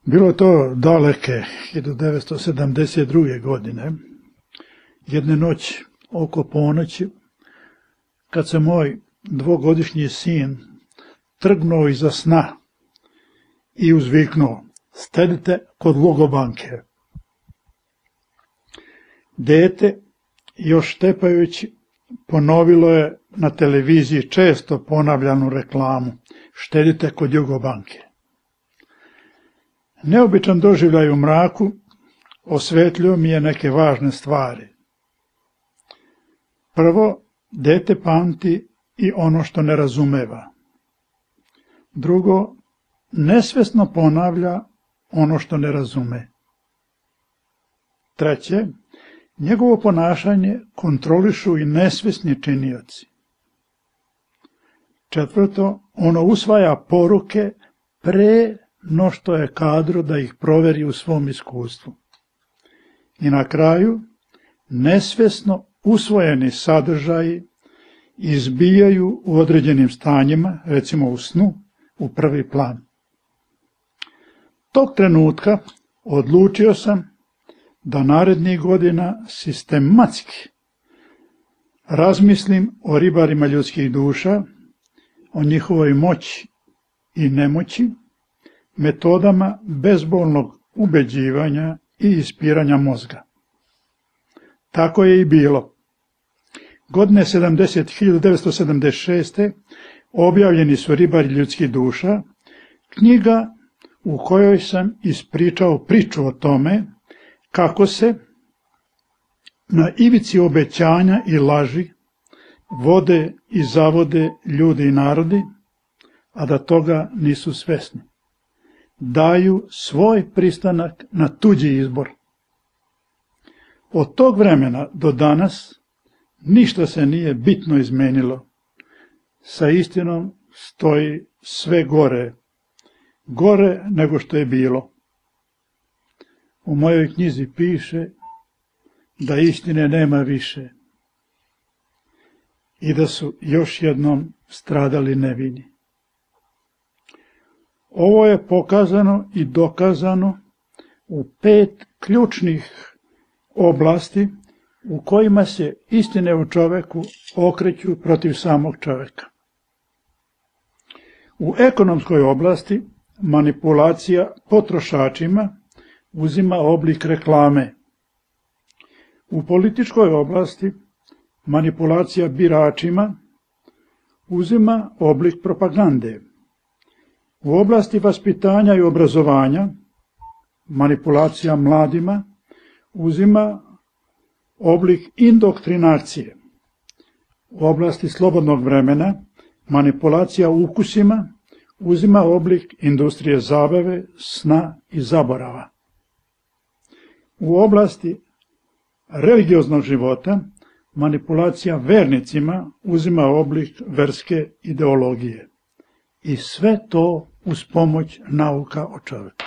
Bilo je to daleke 1972. godine, jedne noći oko ponoći, kad se moj dvogodišnji sin trgnuo iza sna i uzviknuo: "Stedite kod Lugobanke." Dete, još štepajući, ponovilo je na televiziji često ponavljanu reklamu: "Štedite kod Jugobanke." Neobičan doživljaj u mraku osvetlio mi je neke važne stvari. Prvo, dete pamti i ono što ne razumeva. Drugo, nesvesno ponavlja ono što ne razume. Treće, njegovo ponašanje kontrolišu i nesvesni činioci. Četvrto, ono usvaja poruke pre no što je kadro da ih proveri u svom iskustvu. I na kraju, nesvesno usvojeni sadržaji izbijaju u određenim stanjima, recimo u snu, u prvi plan. Tog trenutka odlučio sam da narednih godina sistematski razmislim o ribarima ljudskih duša, o njihovoj moći i nemoći, metodama bezbolnog ubeđivanja i ispiranja mozga. Tako je i bilo. Godine 1976. objavljeni su Ribari ljudskih duša, knjiga u kojoj sam ispričao priču o tome kako se na ivici obećanja i laži vode i zavode ljudi i narodi, a da toga nisu svesni. Daju svoj pristanak na tuđi izbor. Od tog vremena do danas ništa se nije bitno izmenilo. Sa istinom stoji sve gore, gore nego što je bilo. U mojoj knjizi piše da istine nema više i da su još jednom stradali nevini. Ovo je pokazano i dokazano u 5 ključnih oblasti u kojima se istine o čoveku okreću protiv samog čoveka. U ekonomskoj oblasti manipulacija potrošačima uzima oblik reklame. U političkoj oblasti manipulacija biračima uzima oblik propagande. U oblasti vaspitanja i obrazovanja manipulacija mladima uzima oblik indoktrinacije. U oblasti slobodnog vremena manipulacija ukusima uzima oblik industrije zabave, sna i zaborava. U oblasti religioznog života manipulacija vernicima uzima oblik verske ideologije. I sve to uz pomoć nauka o čoveku.